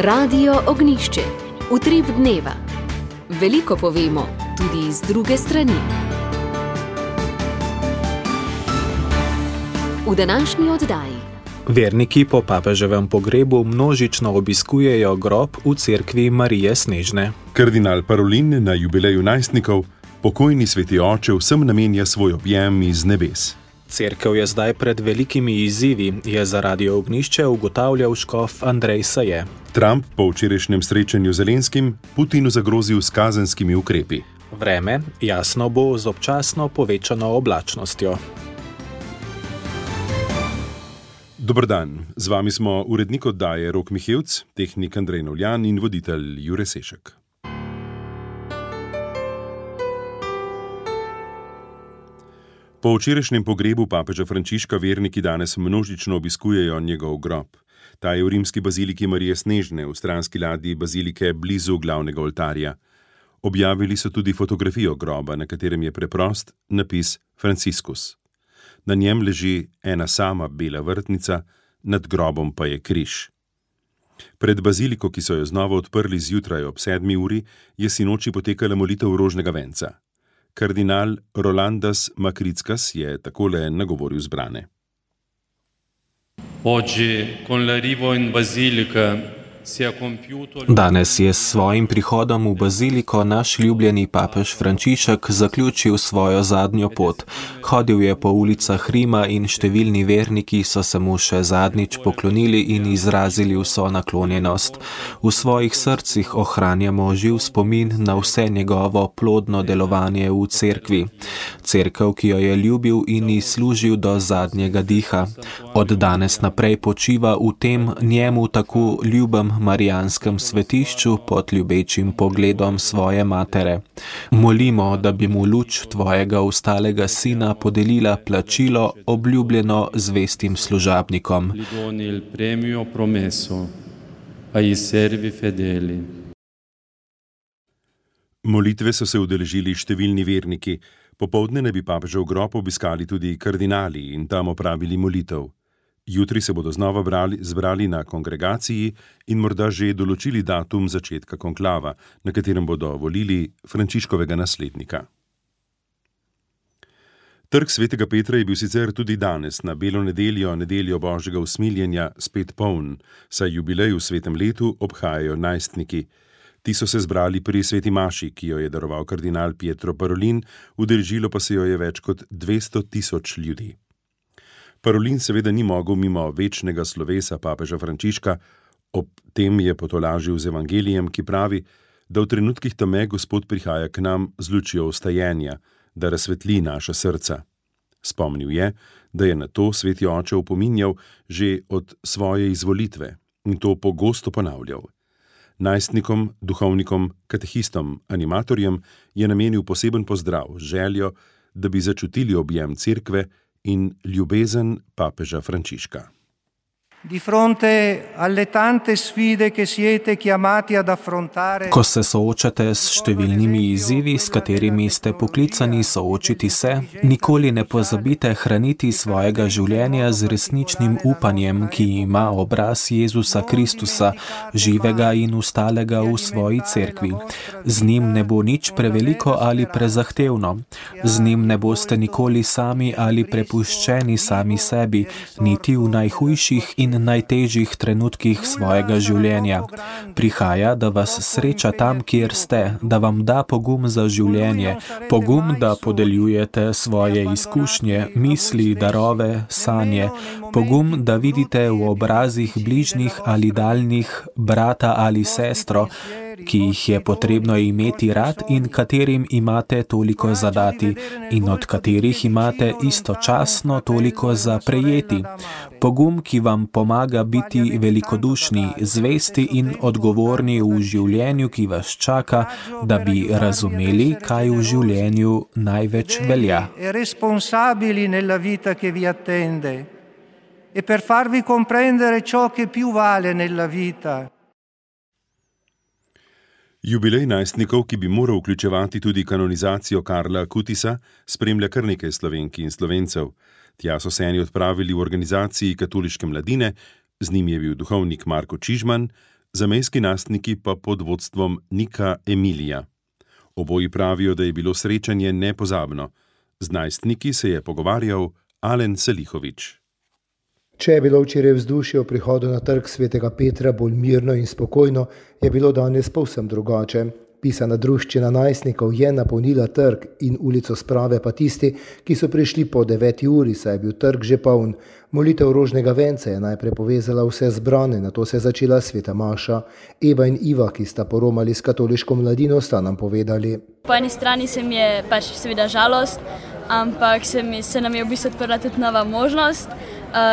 Radio Ognjišče. Utrip dneva. Veliko povemo, tudi z druge strani. V današnji oddaji. Verniki po papeževem pogrebu množično obiskujejo grob v cerkvi Marije Snežne. Kardinal Parolin na jubileju najstnikov, pokojni sveti oče vsem namenja svoj objem iz nebes. Cerkev je zdaj pred velikimi izzivi, je za Radio Ognjišče ugotavljal škof Andrej Saje. Trump po včerajšnjem srečanju z Zelenskim Putinu zagrozil s kazenskimi ukrepi. Vreme jasno bo z občasno povečano oblačnostjo. Dober dan, z vami smo urednik oddaje Rok Mihevc, tehnik Andrej Novljan in voditelj Jure Sešek. Po včerajšnjem pogrebu papeža Frančiška verniki danes množično obiskujejo njegov grob. Ta je v rimski baziliki Marije Snežne, v stranski ladji bazilike blizu glavnega oltarja. Objavili so tudi fotografijo groba, na katerem je preprost napis Franciscus. Na njem leži ena sama bela vrtnica, nad grobom pa je križ. Pred baziliko, ki so jo znova odprli zjutraj ob 7. uri, je sinoči potekala molitev rožnega venca. Kardinal Rolandas Makrickas je takole nagovoril zbrane. Danes je s svojim prihodom v baziliko naš ljubljeni papež Frančišek zaključil svojo zadnjo pot. Hodil je po ulicah Rima in številni verniki so se mu še zadnjič poklonili in izrazili vso naklonjenost. V svojih srcih ohranjamo živ spomin na vse njegovo plodno delovanje v cerkvi. Cerkev, ki jo je ljubil in ji služil do zadnjega diha. Od danes naprej počiva v tem njemu tako ljubem marijanskem svetišču pod ljubečim pogledom svoje matere. Molimo, da bi mu luč tvojega ustalega sina podelila plačilo obljubljeno zvestim služabnikom. Molitve so se udeležili številni verniki. Popoldne naj bi papežev grob obiskali tudi kardinali in tam opravili molitev. Jutri se bodo znova zbrali na kongregaciji in morda že določili datum začetka konklava, na katerem bodo volili Frančiškovega naslednika. Trg svetega Petra je bil sicer tudi danes, na belo nedeljo, nedeljo Božjega usmiljenja, spet poln, saj jubilej v svetem letu obhajajo najstniki. Ti so se zbrali pri sveti maši, ki jo je daroval kardinal Pietro Parolin, udeležilo pa se jo je več kot 200 000 ljudi. Parolin seveda ni mogel mimo večnega slovesa papeža Frančiška, ob tem je potolažil z evangelijem, ki pravi, da v trenutkih teme Gospod prihaja k nam z lučjo vstajenja, da razsvetli naša srca. Spomnil je, da je na to sveti oče opominjal že od svoje izvolitve in to pogosto ponavljal. Najstnikom, duhovnikom, katehistom, animatorjem je namenil poseben pozdrav, željo, da bi začutili objem cerkve in ljubezen papeža Frančiška. Ko se soočate s številnimi izzivi, s katerimi ste poklicani soočiti se, nikoli ne pozabite hraniti svojega življenja z resničnim upanjem, ki ima obraz Jezusa Kristusa, živega in ustalega v svoji cerkvi. Z njim ne bo nič preveliko ali prezahtevno. Z njim ne boste nikoli sami ali prepuščeni sami sebi, niti v najhujših in najtežjih trenutkih svojega življenja. Prihaja, da vas sreča tam, kjer ste, da vam da pogum za življenje, pogum, da podeljujete svoje izkušnje, misli, darove, sanje, pogum, da vidite v obrazih bližnjih ali daljnih brata ali sestro, ki jih je potrebno imeti rad in katerim imate toliko zadati in od katerih imate istočasno toliko za prejeti. Pogum, ki vam pomaga biti velikodušni, zvesti in odgovorni v življenju, ki vas čaka, da bi razumeli, kaj v življenju največ velja. E per farvi comprendere ciò che più vale nella vita. Jubilej najstnikov, ki bi moral vključevati tudi kanonizacijo Karla Kutisa, spremlja kar nekaj Slovenk in Slovencev. Tja so se eni odpravili v organizaciji katoliške mladine, z njim je bil duhovnik Marko Čižman, zamejski nastniki pa pod vodstvom Nika Emilija. Oboji pravijo, da je bilo srečanje nepozabno. Z najstniki se je pogovarjal Alen Selihovič. Če je bilo včeraj vzdušje o prihodu na trg svetega Petra bolj mirno in spokojno, je bilo danes povsem drugače. Pisana druščina najstnikov je napolnila trg in ulico Sprave pa tisti, ki so prišli po 9. uri, saj je bil trg že poln. Molitev rožnega venca je najprej povezala vse zbrane, nato se je začela sveta maša. Eva in Iva, ki sta poromali s katoliško mladino, sta nam povedali. Po eni strani se mi je seveda žalost, ampak se nam je v bistvu odprla tudi nova možnost,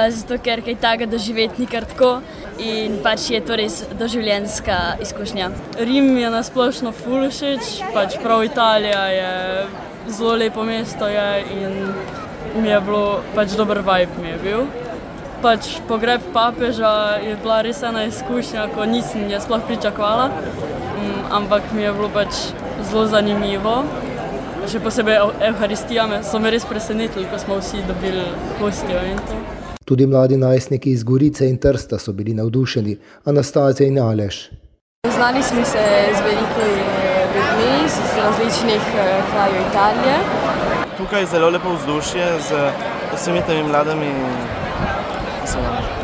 zato ker kaj takega doživeti ni kar tako in je to res doživljenjska izkušnja. Rim je nasplošno ful všeč, prav Italija je zelo lepo mesto in mi je bilo dober vibe mi je bil. Pogreb papeža je bila res ena izkušnja, ko nisem je sploh pričakovala, ampak mi je bilo zelo zanimivo. Še posebej Evharistija so me res presenetili, ko smo vsi dobili hostijo in to. Tudi mladi najstniki iz Gorice in Trsta so bili navdušeni, Anastazija in Aleš. Znali smo se z veliko ljudmi iz različnih krajev Italije. Tukaj je zelo lepo vzdušje z vsemi temi mladimi.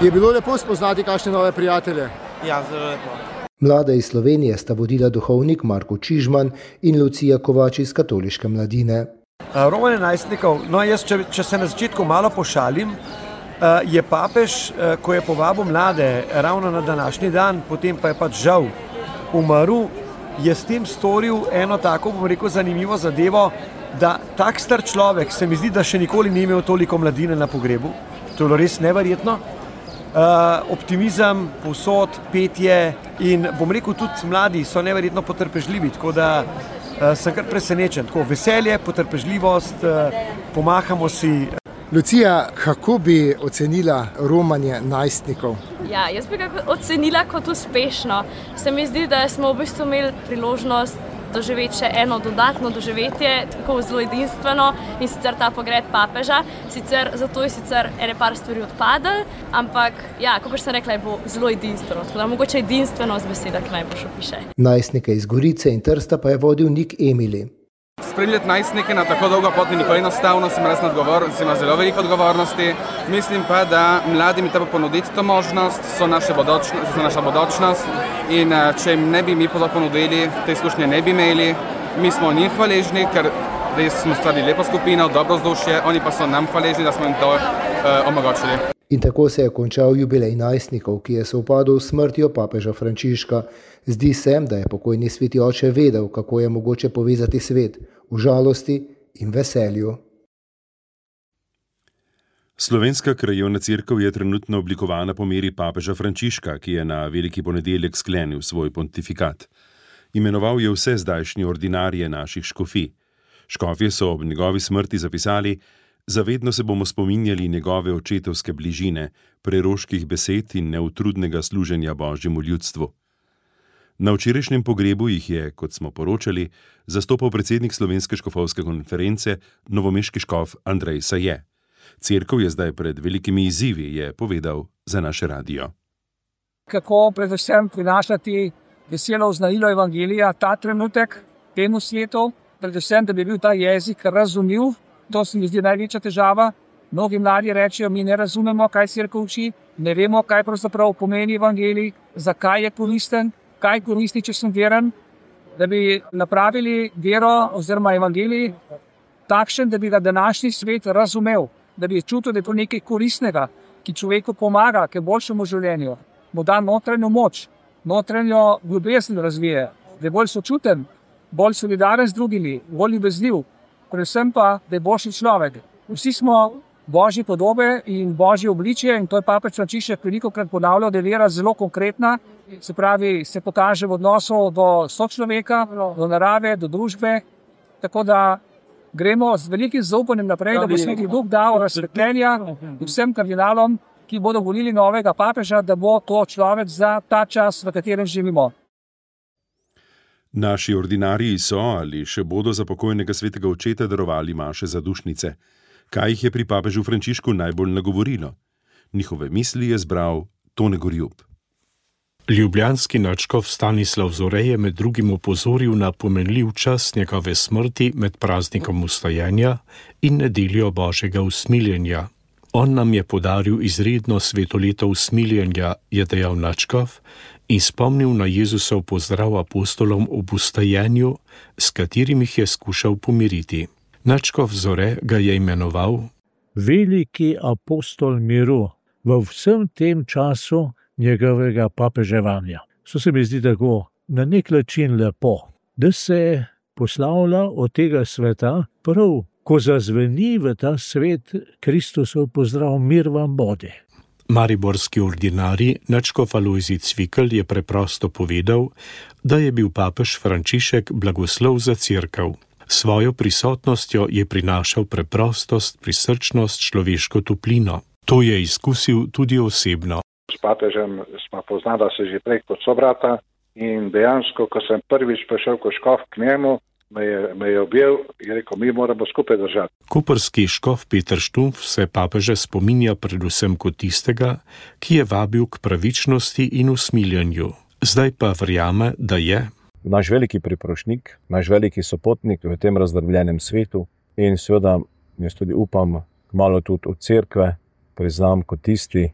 Je bilo lepo spoznati kakšne nove prijatelje? Ja, zelo lepo. Mlade iz Slovenije sta vodila duhovnik Marko Čižman in Lucija Kovač iz katoliške mladine. Romanje najstnikov, jaz, če se na začetku malo pošalim, je papež, ko je povabil mlade ravno na današnji dan, potem pa je žal umrl, je s tem storil eno tako, zanimivo zadevo, da tak star človek, se mi zdi, da še nikoli ni imel toliko mladine na pogrebu. To je bilo res neverjetno. Optimizem, povsod, petje in tudi mladi so neverjetno potrpežljivi, tako da sem kar presenečen. Tako veselje, potrpežljivost, pomahamo si. Lucija, kako bi ocenila romanje najstnikov? Ja, jaz bi ga ocenila kot uspešno. Se mi zdi, da smo v bistvu imeli priložnost doživeti še eno dodatno doživetje, tako zelo edinstveno, in sicer ta pogreb papeža. Zato je ene par stvari odpadlo, ampak kot sem rekla, je bilo zelo edinstveno. Tako da mogoče edinstveno z besedah najbolj opiše. Najstnike iz Gorice in Trsta pa je vodil Nik Emili. Spremljati najstnike na tako dolgo pot ni nikoli enostavno, sem ima zelo veliko odgovornosti. Mislim pa, da mladim je treba ponuditi to možnost, so naša bodočnost in če jim ne bi mi ponudili, te izkušnje ne bi imeli. Mi smo njih hvaležni, ker res smo stvarili lepo skupino, dobro vzdušje, oni pa so nam hvaležni, da smo jim to omogočili. In tako se je končal jubilej najstnikov, ki je sovpadel s smrtjo papeža Frančiška. Zdi se, da je pokojni sveti oče vedel, kako je mogoče povezati svet v žalosti in veselju. Slovenska krajevna cerkev je trenutno oblikovana po meri papeža Frančiška, ki je na veliki ponedeljek sklenil svoj pontifikat. Imenoval je vse zdajšnje ordinarije naših škofij. Škofje so ob njegovi smrti zapisali: zavedno se bomo spominjali njegove očetovske bližine, preroških besed in neutrudnega služenja Božjemu ljudstvu. Na včerajšnjem pogrebu jih je, kot smo poročali, zastopal predsednik Slovenske škofovske konference, novomeški škof Andrej Saje. Cerkev je zdaj pred velikimi izzivi, je povedal za naše radio. Kako predvsem prinašati veselo oznanilo evangelija ta trenutek temu svetu, predvsem, da bi bil ta jezik razumljiv. To se mi zdi največja težava. Mnogi mladi rečejo, mi ne razumemo, kaj cerkev uči, ne vemo, kaj pravzaprav pomeni evangelij, zakaj je koristen, kaj koristi, če sem veren, da bi napravili vero oziroma evangelij takšen, da bi ga današnji svet razumel, da bi čutil, da je to nekaj koristnega, ki človeku pomaga k boljšemu življenju, mu da notranjo moč, notranjo ljubezen razvije, da je bolj sočuten, bolj solidaren z drugimi, bolj ljubezniv, predvsem pa, da je boljši človek. Vsi smo Božje podobe in Božje obličje in to je papež Frančišek velikokrat ponavljal, da je vera zelo konkretna, se pravi, se pokaže v odnosu do sočloveka, do narave, do družbe, tako da gremo z velikim zaupanjem naprej, da bo Sveti Duh dal razsvetljenja vsem kardinalom, ki bodo volili novega papeža, da bo to človek za ta čas, v katerem živimo. Naši ordinariji so ali še bodo za pokojnega svetega očeta darovali maše za dušnice. Kaj jih je pri papežu Frančišku najbolj nagovorilo? Njihove misli je zbral Tone Gorjub. Ljubljanski nadškof Stanislav Zore je med drugim opozoril na pomenljiv čas njegove smrti med praznikom vstajenja in nedeljo Božjega usmiljenja. On nam je podaril izredno svetoleto usmiljenja, je dejal nadškof, in spomnil na Jezusov pozdrav apostolom ob vstajenju, s katerim jih je skušal pomiriti. Nadškof Zore ga je imenoval veliki apostol miru v vsem tem času njegovega papeževanja. To se mi zdi tako na nek način lepo, da se poslavlja od tega sveta prav, ko zazveni v ta svet Kristusov pozdrav, mir vam bodi. Mariborski ordinarij nadškof Alojzij Cvikl je preprosto povedal, da je bil papež Frančišek blagoslov za cerkev. Svojo prisotnostjo je prinašal preprostost, prisrčnost, človeško toplino. To je izkusil tudi osebno. S papežem smo poznala se že prej kot sobrata in dejansko, ko sem prvič prišel kot škof k njemu, me je objel in rekel, mi moramo skupaj držati. Koprski škof Peter Štumpf se papeže spominja predvsem kot tistega, ki je vabil k pravičnosti in usmiljenju. Zdaj pa verjame, da je naš veliki priprošnik, naš veliki sopotnik v tem razdrobljenem svetu in seveda jaz tudi upam, malo tudi od cerkve priznam kot tisti,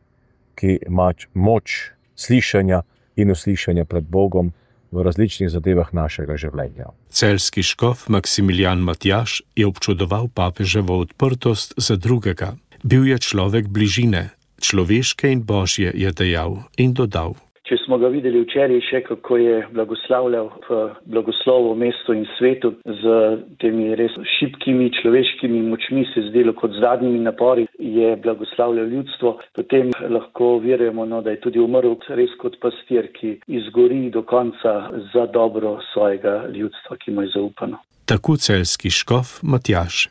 ki ima moč slišanja in uslišanja pred Bogom v različnih zadevah našega življenja. Celjski škof Maksimilijan Matjaž je občudoval papeževo odprtost za drugega. Bil je človek bližine, človeške in božje, je dejal in dodal. Če smo ga videli včeraj še, kako je blagoslavljal v blagoslovu mestu in svetu z temi res šibkimi človeškimi močmi, se zdelo kot zadnjimi napori, je blagoslavljal ljudstvo, potem lahko verjamo, da je tudi umrl res kot pastir, ki izgori do konca za dobro svojega ljudstva, ki mu je zaupano. Tako celjski škof Matjaž.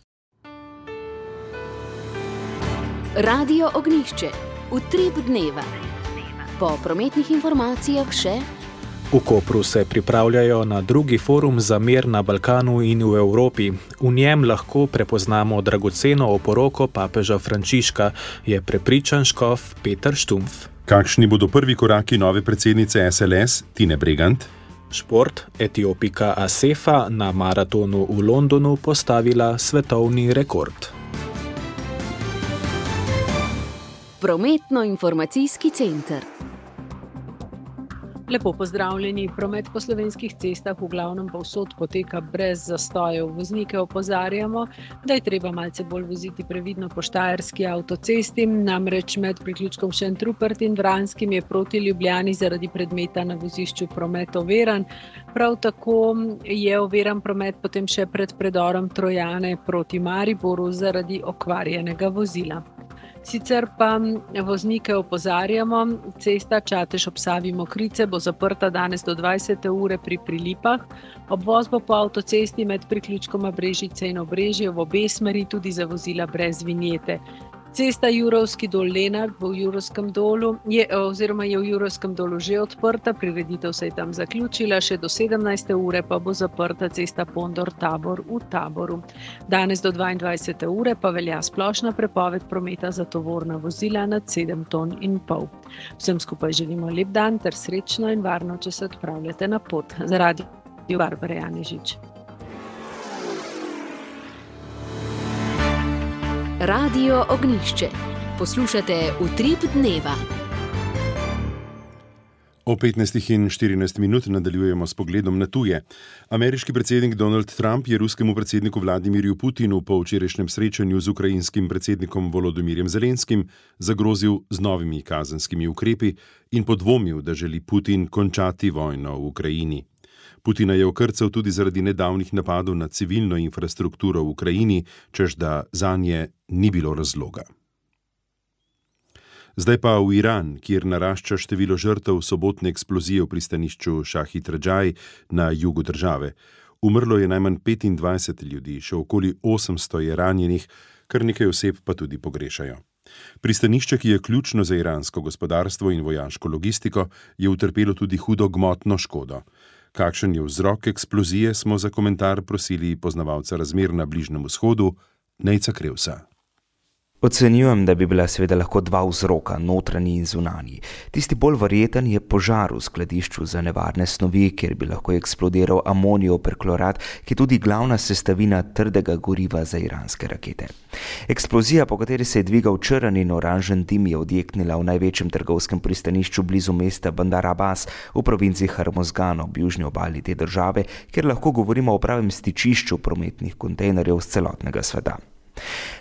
Radio Ognjišče. Utrip dneva. Po prometnih informacijah še. V Kopru se pripravljajo na drugi forum za mir na Balkanu in v Evropi. V njem lahko prepoznamo dragoceno oporoko papeža Frančiška, je prepričan škof Peter Štumpf. Kakšni bodo prvi koraki nove predsednice SLS, Tine Bregant? Šport, Etiopika Asefa na maratonu v Londonu postavila svetovni rekord. Prometno-informacijski center. Lepo pozdravljeni. Promet po slovenskih cestah v glavnem povsod poteka brez zastojev. Voznike opozarjamo, da je treba malce bolj voziti previdno po štajerski avtocesti, namreč med priključkom Šentrupert in Vranskim je proti Ljubljani zaradi predmeta na vozišču promet oviran. Prav tako je oviran promet potem še pred predorom Trojane proti Mariboru zaradi okvarjenega vozila. Sicer pa voznike opozarjamo, cesta Čatež ob Savi Mokrice bo zaprta danes do 20. ure pri Prilipah. Obvoz bo po avtocesti med priključkoma Brežice in Obrežje v obe smeri tudi za vozila brez vinjete. Cesta Jurovski dol Lenart bo v Jurovskem dolu, je v Jurovskem dolu že odprta, prireditev se je tam zaključila, še do 17. ure pa bo zaprta cesta Pondor-Tabor v Taboru. Danes do 22. ure pa velja splošna prepoved prometa za tovorna vozila nad 7,5 ton. Vsem skupaj želimo lep dan ter srečno in varno, če se odpravljate na pot. Za radio Barbara Janežič. Radio Ognjišče. Poslušate Utrip dneva. O 15:14 nadaljujemo s pogledom na tuje. Ameriški predsednik Donald Trump je ruskemu predsedniku Vladimirju Putinu po včerajšnjem srečanju z ukrajinskim predsednikom Volodomirjem Zelenskim zagrozil z novimi kazenskimi ukrepi in podvomil, da želi Putin končati vojno v Ukrajini. Putina je okrcal tudi zaradi nedavnih napadov na civilno infrastrukturo v Ukrajini, češ da zanje ni bilo razloga. Zdaj pa v Iran, kjer narašča število žrtev sobotne eksplozije v pristanišču Šahid Radžaj na jugu države. Umrlo je najmanj 25 ljudi, še okoli 800 je ranjenih, kar nekaj oseb pa tudi pogrešajo. Pristanišče, ki je ključno za iransko gospodarstvo in vojaško logistiko, je utrpelo tudi hudo gmotno škodo. Kakšen je vzrok eksplozije, smo za komentar prosili poznavalca razmer na Bližnjem vzhodu, Nejca Krevsa. Ocenjujem, da bi bila seveda lahko dva vzroka, notranji in zunanji. Tisti bolj verjeten je požar v skladišču za nevarne snovi, kjer bi lahko eksplodiral amonijev perklorat, ki je tudi glavna sestavina trdega goriva za iranske rakete. Eksplozija, po kateri se je dvigal črn in oranžen dim, je odjeknila v največjem trgovskem pristanišču blizu mesta Bandar Abbas v provinci Hormozgan ob južni obali te države, kjer lahko govorimo o pravem stičišču prometnih kontejnerjev z celotnega sveta.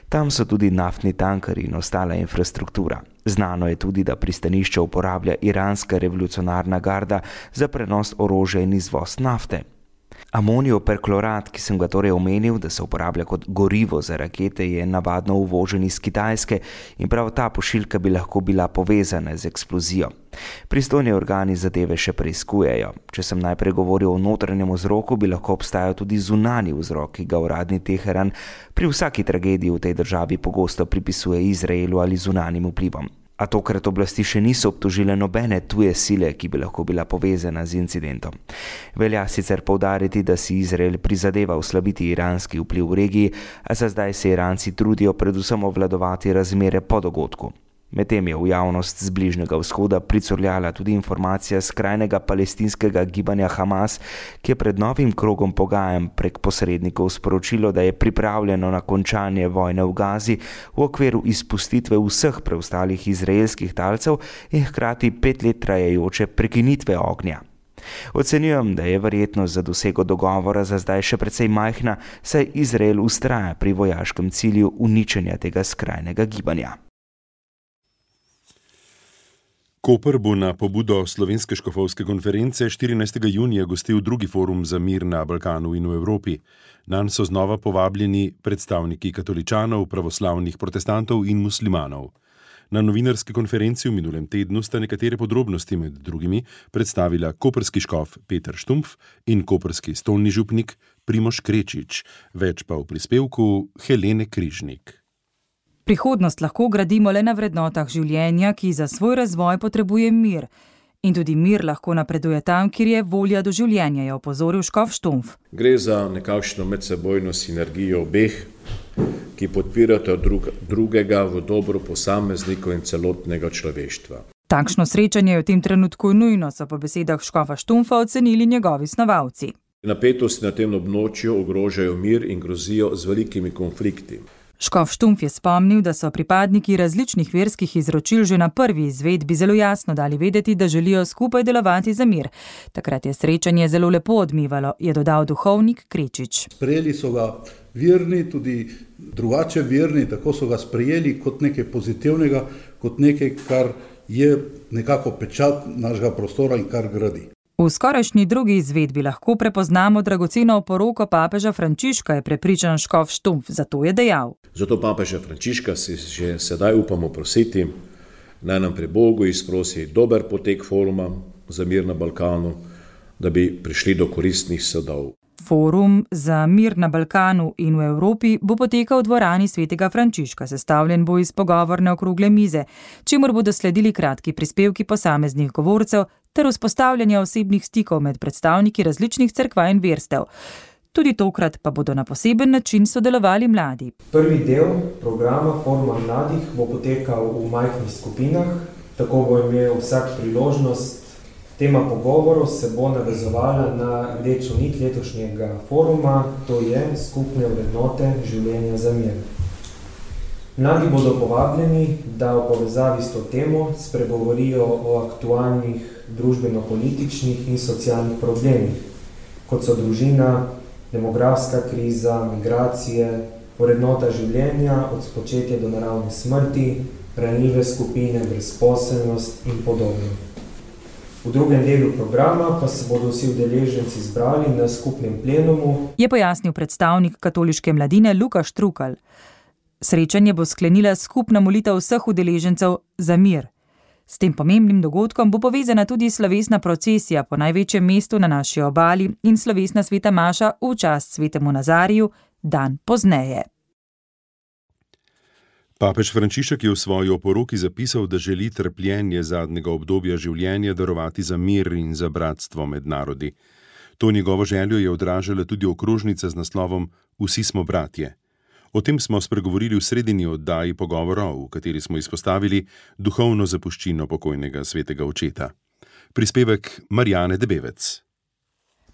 Tam so tudi naftni tankerji in ostala infrastruktura. Znano je tudi, da pristanišče uporablja iranska revolucionarna garda za prenos orožja in izvoz nafte. Amonijev perklorat, ki sem ga torej omenil, da se uporablja kot gorivo za rakete, je navadno uvožen iz Kitajske in prav ta pošiljka bi lahko bila povezana z eksplozijo. Pristojni organi zadeve še preiskujejo. Če sem najprej govoril o notranjem vzroku, bi lahko obstajal tudi zunanji vzrok, ki ga uradni Teheran pri vsaki tragediji v tej državi pogosto pripisuje Izraelu ali zunanjim vplivom. A tokrat oblasti še niso obtožile nobene tuje sile, ki bi lahko bila povezana z incidentom. Velja sicer poudariti, da si Izrael prizadeva oslabiti iranski vpliv v regiji, a za zdaj se Iranci trudijo predvsem obvladovati razmere po dogodku. Medtem je v javnost z Bližnjega vzhoda pricurljala tudi informacija skrajnega palestinskega gibanja Hamas, ki je pred novim krogom pogajanj prek posrednikov sporočilo, da je pripravljeno na končanje vojne v Gazi v okviru izpustitve vseh preostalih izraelskih talcev in hkrati 5 let trajajoče prekinitve ognja. Ocenjujem, da je verjetnost za dosego dogovora za zdaj še precej majhna, saj Izrael vztraja pri vojaškem cilju uničenja tega skrajnega gibanja. Koper bo na pobudo Slovenske škofovske konference 14. junija gostil drugi forum za mir na Balkanu in v Evropi. Nanj so znova povabljeni predstavniki katoličanov, pravoslavnih protestantov in muslimanov. Na novinarski konferenci v minulem tednu sta nekatere podrobnosti med drugimi predstavila koprski škof Peter Štumpf in koprski stolni župnik Primož Krečič, več pa v prispevku Helene Križnik. Prihodnost lahko gradimo le na vrednotah življenja, ki za svoj razvoj potrebuje mir. In tudi mir lahko napreduje tam, kjer je volja do življenja, je opozoril škof Štumpf. Gre za nekakšno medsebojno sinergijo obeh, ki podpirata drugega v dobro posameznikov in celotnega človeštva. Takšno srečanje je v tem trenutku nujno, so po besedah škofa Štumpfa ocenili njegovi snovalci. Napetosti na tem območju ogrožajo mir in grozijo z velikimi konflikti. Škof Štumpf je spomnil, da so pripadniki različnih verskih izročil že na prvi izvedbi zelo jasno dali vedeti, da želijo skupaj delovati za mir. Takrat je srečanje zelo lepo odmivalo, je dodal duhovnik Krečič. Sprejeli so ga verni, tudi drugače verni, tako so ga sprejeli kot nekaj pozitivnega, kot nekaj, kar je nekako pečat našega prostora in kar gradi. V skorajšnji drugi izvedbi lahko prepoznamo dragoceno oporoko papeža Frančiška, je prepričan škof Štumpf, zato je dejal. Zato papeža Frančiška si že sedaj upamo prositi, naj nam pri Bogu izprosi dober potek foruma za mir na Balkanu, da bi prišli do koristnih sadov. Forum za mir na Balkanu in v Evropi bo potekal v dvorani svetega Frančiška, sestavljen bo iz pogovorne okrogle mize, čemur bodo sledili kratki prispevki posameznih govorcev ter vzpostavljanje osebnih stikov med predstavniki različnih cerkva in verstev. Tudi tokrat pa bodo na poseben način sodelovali mladi. Prvi del programa Foruma mladih bo potekal v majhnih skupinah, tako bo imel vsak priložnost. Tema pogovorov se bo navezovala na rdečo nit letošnjega foruma, to je skupne vrednote življenja za mir. Mladi bodo povabljeni, da v povezavi s to temo spregovorijo o aktualnih družbeno-političnih in socialnih problemih, kot so družina, demografska kriza, migracije, vrednota življenja od spočetja do naravne smrti, ranljive skupine, brezposelnost in podobno. V drugem delu programa pa se bodo vsi udeleženci zbrali na skupnem plenumu, je pojasnil predstavnik katoliške mladine Lukaš Trukal. Srečanje bo sklenila skupna molitev vseh udeležencev za mir. S tem pomembnim dogodkom bo povezana tudi slovesna procesija po največjem mestu na naši obali in slovesna sveta maša v čast svetemu Nazariju dan pozneje. Papež Frančišek je v svoji oporoki zapisal, da želi trpljenje zadnjega obdobja življenja darovati za mir in za bratstvo med narodi. To njegovo željo je odražala tudi okrožnica z naslovom Vsi smo bratje. O tem smo spregovorili v sredini oddaji Pogovorov, v kateri smo izpostavili duhovno zapuščino pokojnega svetega očeta. Prispevek Marjane Debevec.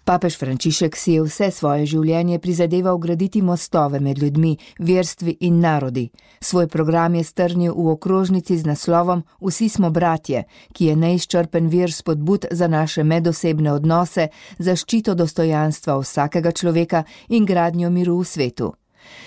Papež Frančišek si je vse svoje življenje prizadeval graditi mostove med ljudmi, verstvi in narodi. Svoj program je strnil v okrožnici z naslovom Vsi smo bratje, ki je neizčrpen vir spodbud za naše medosebne odnose, zaščito dostojanstva vsakega človeka in gradnjo miru v svetu.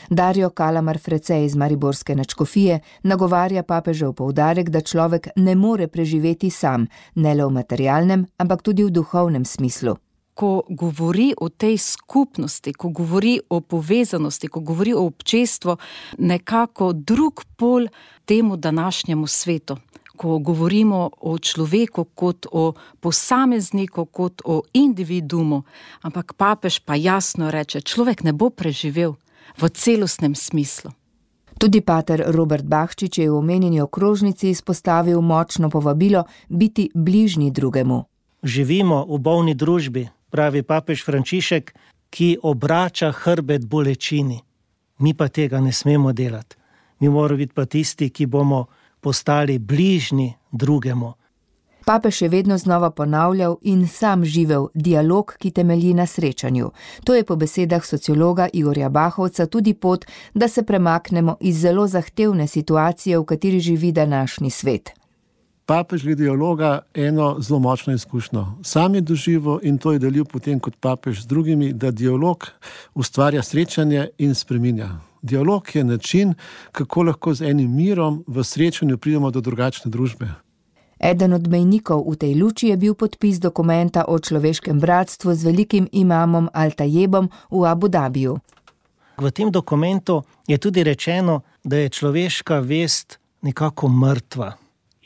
Dario Kalamar Frecej iz mariborske nadškofije nagovarja papežev poudarek, da človek ne more preživeti sam, ne le v materialnem, ampak tudi v duhovnem smislu. Ko govori o tej skupnosti, ko govori o povezanosti, ko govori o občestvu, nekako drug pol temu današnjemu svetu. Ko govorimo o človeku kot o posamezniku, kot o individumu, ampak papež pa jasno reče, človek ne bo preživel v celostnem smislu. Tudi pater Robert Bahčič je v omenjeni okrožnici izpostavil močno povabilo biti bližnji drugemu. Živimo v bolni družbi, pravi papež Frančišek, ki obrača hrbet bolečini. Mi pa tega ne smemo delati. Mi moramo biti pa tisti, ki bomo postali bližnji drugemu. Papež je vedno znova ponavljal in sam živel dialog, ki temelji na srečanju. To je po besedah sociologa Igorja Bahovca tudi pot, da se premaknemo iz zelo zahtevne situacije, v kateri živi današnji svet. Papež glede dialoga eno zelo močno izkušnjo. Sam je doživel in to je delil potem kot papež z drugimi, da dialog ustvarja srečanje in spreminja. Dialog je način, kako lahko z enim mirom v srečanju pridemo do drugačne družbe. Eden od mejnikov v tej luči je bil podpis dokumenta o človeškem bratstvu z velikim imamom Al-Tajebom v Abu Dabiju. V tem dokumentu je tudi rečeno, da je človeška vest nekako mrtva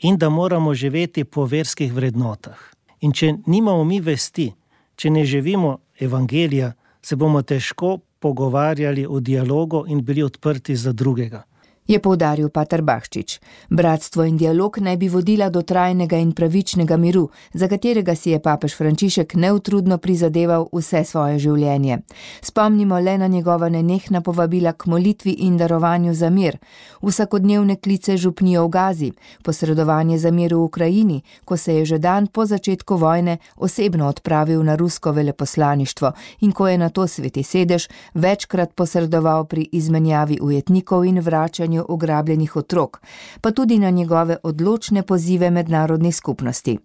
in da moramo živeti po verskih vrednotah. In če nimamo mi vesti, če ne živimo evangelija, se bomo težko pogovarjali o dialogu in bili odprti za drugega. Je poudaril pater Bahčič. Bratstvo in dialog naj bi vodila do trajnega in pravičnega miru, za katerega si je papež Frančišek neutrudno prizadeval vse svoje življenje. Spomnimo le na njegova nenehna povabila k molitvi in darovanju za mir, vsakodnevne klice župnijo v Gazi, posredovanje za mir v Ukrajini, ko se je že dan po začetku vojne osebno odpravil na rusko veleposlaništvo in ko je nato Sveti sedež večkrat posredoval pri izmenjavi ujetnikov in vračanju ugrabljenih otrok, pa tudi na njegove odločne pozive mednarodni skupnosti.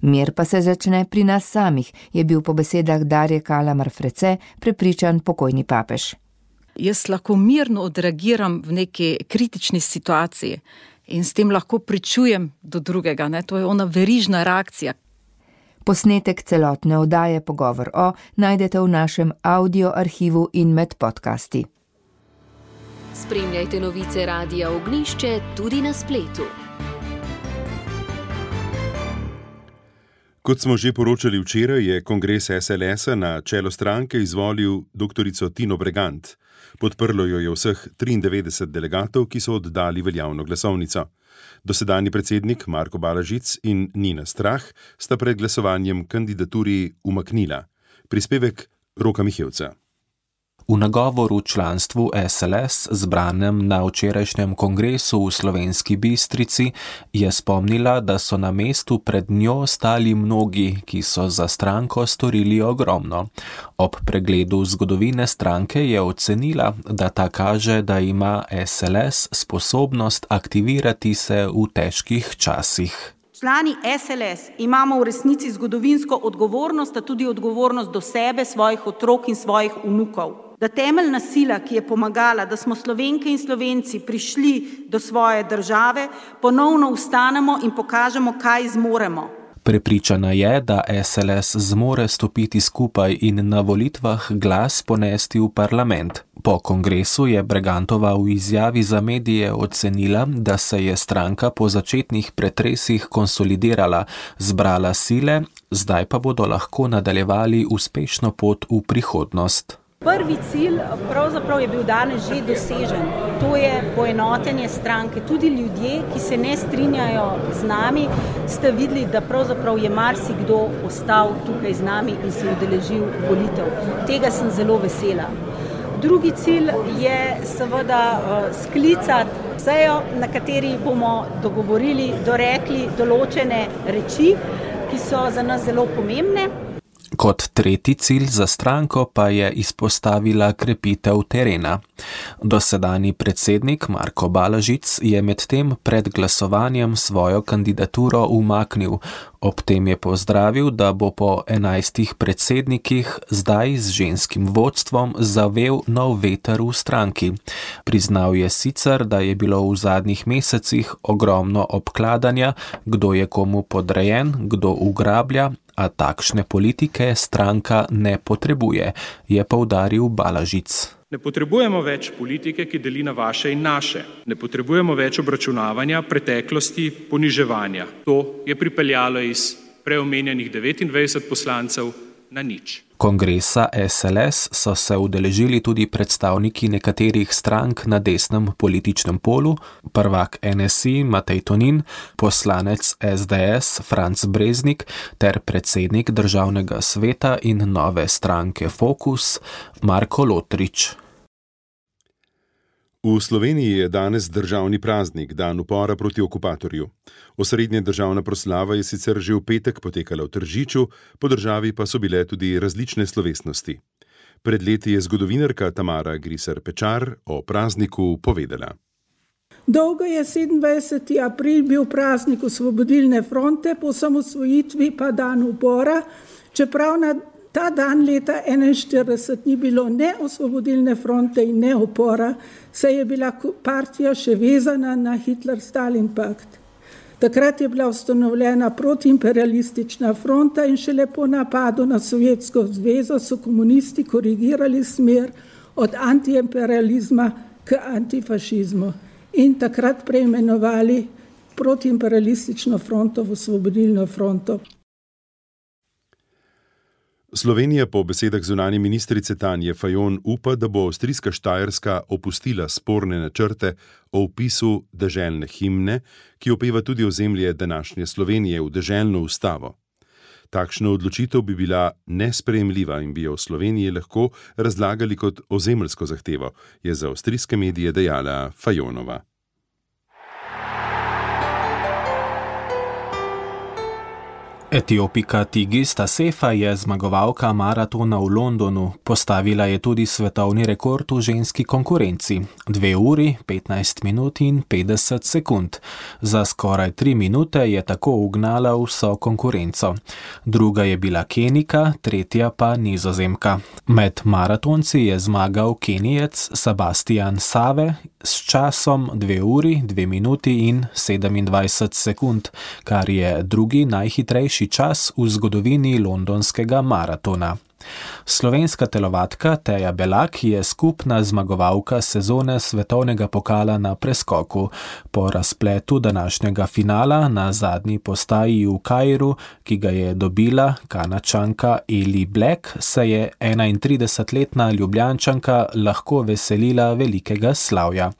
Mir pa se začne pri nas samih, je bil po besedah Darje Kalamar Frece prepričan pokojni papež. Jaz lahko mirno odreagiram v neki kritični situaciji in s tem lahko pričujem do drugega, ne? To je ona verižna reakcija. Posnetek celotne oddaje Pogovor o najdete v našem audio arhivu in med podcasti. Spremljajte novice Radia Ognjišče tudi na spletu. Kot smo že poročali včeraj, je kongres SLS-a na čelo stranke izvolil doktorico Tino Bregant. Podprlo jo je vseh 93 delegatov, ki so oddali veljavno glasovnico. Dosedanji predsednik Marko Balažic in Nina Strah sta pred glasovanjem kandidaturi umaknila. Prispevek Roka Mihevca. V nagovoru članstvu SLS, zbranem na včerajšnjem kongresu v Slovenski Bistrici, je spomnila, da so na mestu pred njo stali mnogi, ki so za stranko storili ogromno. Ob pregledu zgodovine stranke je ocenila, da ta kaže, da ima SLS sposobnost aktivirati se v težkih časih. Člani SLS imamo v resnici zgodovinsko odgovornost, a tudi odgovornost do sebe, svojih otrok in svojih vnukov. Da temeljna sila, ki je pomagala, da smo Slovenke in Slovenci prišli do svoje države, ponovno vstanemo in pokažemo, kaj zmoremo. Prepričana je, da SLS zmore stopiti skupaj in na volitvah glas ponesti v parlament. Po kongresu je Bregantova v izjavi za medije ocenila, da se je stranka po začetnih pretresih konsolidirala, zbrala sile, zdaj pa bodo lahko nadaljevali uspešno pot v prihodnost. Prvi cilj pravzaprav je bil danes že dosežen. To je poenotenje stranke. Tudi ljudje, ki se ne strinjajo z nami, ste videli, da pravzaprav je marsikdo ostal tukaj z nami in se udeležil volitev. Tega sem zelo vesela. Drugi cilj je seveda sklicati sejo, na kateri bomo dogovorili, dorekli določene reči, ki so za nas zelo pomembne. Kot tretji cilj za stranko pa je izpostavila krepitev terena. Dosedanji predsednik Marko Balažic je medtem pred glasovanjem svojo kandidaturo umaknil. Ob tem je pozdravil, da bo po 11 predsednikih zdaj z ženskim vodstvom zavel nov veter v stranki. Priznal je sicer, da je bilo v zadnjih mesecih ogromno obkladanja, kdo je komu podrejen, kdo ugrablja, a takšne politike stranka ne potrebuje, je poudaril Balažic. Ne potrebujemo več politike, ki deli na vaše in naše. Ne potrebujemo več obračunavanja, preteklosti, poniževanja. To je pripeljalo iz preomenjenih 29 poslancev na nič. Kongresa SLS so se udeležili tudi predstavniki nekaterih strank na desnem političnem polu, prvak NSI Matej Tonin, poslanec SDS Franc Breznik ter predsednik Državnega sveta in nove stranke Fokus Marko Lotrič. V Sloveniji je danes državni praznik, dan upora proti okupatorju. Osrednja državna proslava je sicer že v petek potekala v Tržiču, po državi pa so bile tudi različne slovesnosti. Pred leti je zgodovinarka Tamara Griser Pečar o prazniku povedala. Dolgo je 27. april bil praznik Osvobodilne fronte, po osamosvojitvi pa dan upora, čeprav na ta dan leta 1941 ni bilo ne Osvobodilne fronte in ne upora, saj je bila partija še vezana na Hitler-Stalin pakt. Takrat je bila ustanovljena protiimperialistična fronta in šele po napadu na Sovjetsko zvezo so komunisti korigirali smer od antiimperializma k antifašizmu in takrat preimenovali protiimperialistično fronto v Osvobodilno fronto. Slovenija po besedah zunanje ministrice Tanje Fajon upa, da bo avstrijska Štajerska opustila sporne načrte o vpisu deželne himne, ki opeva tudi ozemlje današnje Slovenije v deželno ustavo. Takšna odločitev bi bila nesprejemljiva in bi jo v Sloveniji lahko razlagali kot ozemeljsko zahtevo, je za avstrijske medije dejala Fajonova. Etiopika Tigista Sefa je zmagovalka maratona v Londonu, postavila je tudi svetovni rekord v ženski konkurenci, 2 uri, 15 minut in 50 sekund. Za skoraj 3 minute je tako ugnala vso konkurenco. Druga je bila Kenijka, tretja pa Nizozemka. Med maratonci je zmagal Kenijec Sebastian Save s časom 2 uri, 2 minuti in 27 sekund, kar je drugi najhitrejši čas v zgodovini londonskega maratona. Slovenska telovadka Teja Belak je skupna zmagovalka sezone svetovnega pokala na preskoku. Po razpletu današnjega finala na zadnji postaji v Kairu, ki ga je dobila Kanačanka Eli Black, se je 31-letna Ljubljančanka lahko veselila velikega slavja.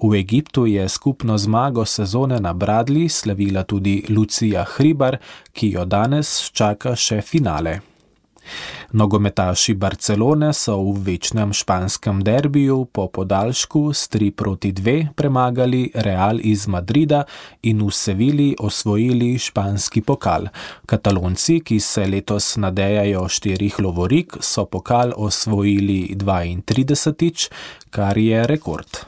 V Egiptu je skupno zmago sezone na bradlji slavila tudi Lucija Hribar, ki jo danes čaka še finale. Nogometaši Barcelone so v večnem španskem derbiju po podaljšku s 3-2 premagali Real iz Madrida in v Sevilji osvojili španski pokal. Katalonci, ki se letos nadejajo 4 lovorik, so pokal osvojili 32, kar je rekord.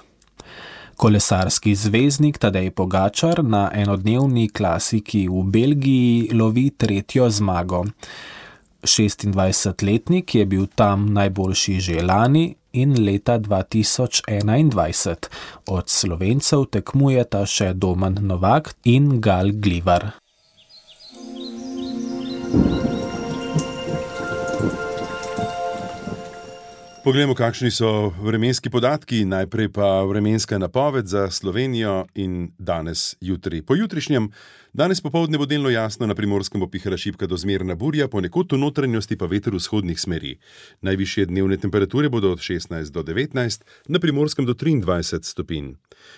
Kolesarski zvezdnik Tadej Pogačar na enodnevni klasiki v Belgiji lovi 3. zmago. 26-letnik je bil tam najboljši že lani in leta 2021. Od Slovencev tekmujeta še Domen Novak in Gal Glivar. Poglejmo, kakšni so vremenski podatki, najprej pa vremenska napoved za Slovenijo in danes jutri. Po jutrišnjem Danes popoldne bo delno jasno, na Primorskem bo pihala šibka do zmerna burja, ponekod v notranjosti pa veter vzhodnih smeri. Najvišje dnevne temperature bodo od 16 do 19, na Primorskem do 23 stopinj.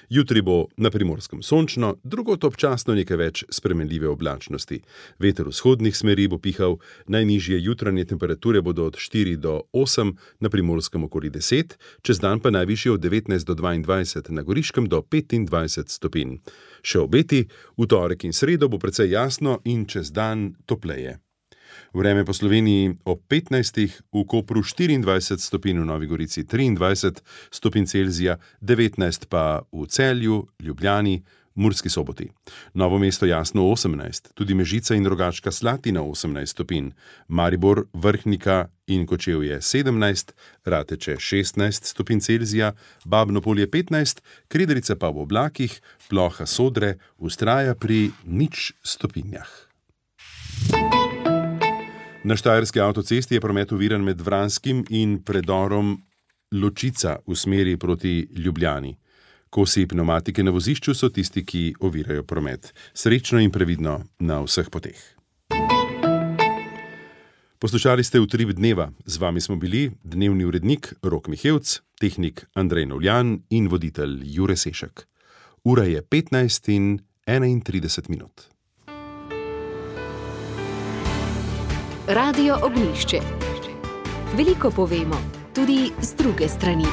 Jutri bo na Primorskem sončno, drugod občasno nekaj več spremenljive oblačnosti. Veter vzhodnih smeri bo pihal, najnižje jutranje temperature bodo od 4 do 8, na Primorskem okoli 10, čez dan pa najvišje od 19 do 22, na Goriškem do 25 stopinj. Še obeti, v torek in sredo bo precej jasno in čez dan topleje. Vreme po Sloveniji ob 15, v Kopru 24 stopinj, v Novi Gorici 23 stopinj Celzija, 19 pa v Celju, Ljubljani, Murski Soboti. Novo mesto jasno 18, tudi Mežica in Rogaška Slatina 18 stopinj, Maribor, Vrhnika in Kočevje 17, Rateče 16 stopinj Celzija, Babno Polje 15, Krederica pa v oblakih, Ploha Sodre vztraja pri 0 stopinjah. Na Štajerski avtocesti je promet oviran med Vranskim in predorom Ločica v smeri proti Ljubljani. Kosi pneumatike na vozišču so tisti, ki ovirajo promet. Srečno in previdno na vseh poteh. Poslušali ste Utrip dneva. Z vami smo bili dnevni urednik Rok Mihevc, tehnik Andrej Novljan in voditelj Jure Sešek. Ura je 15:31. Radio Ognjišče. Veliko povemo, tudi z druge strani.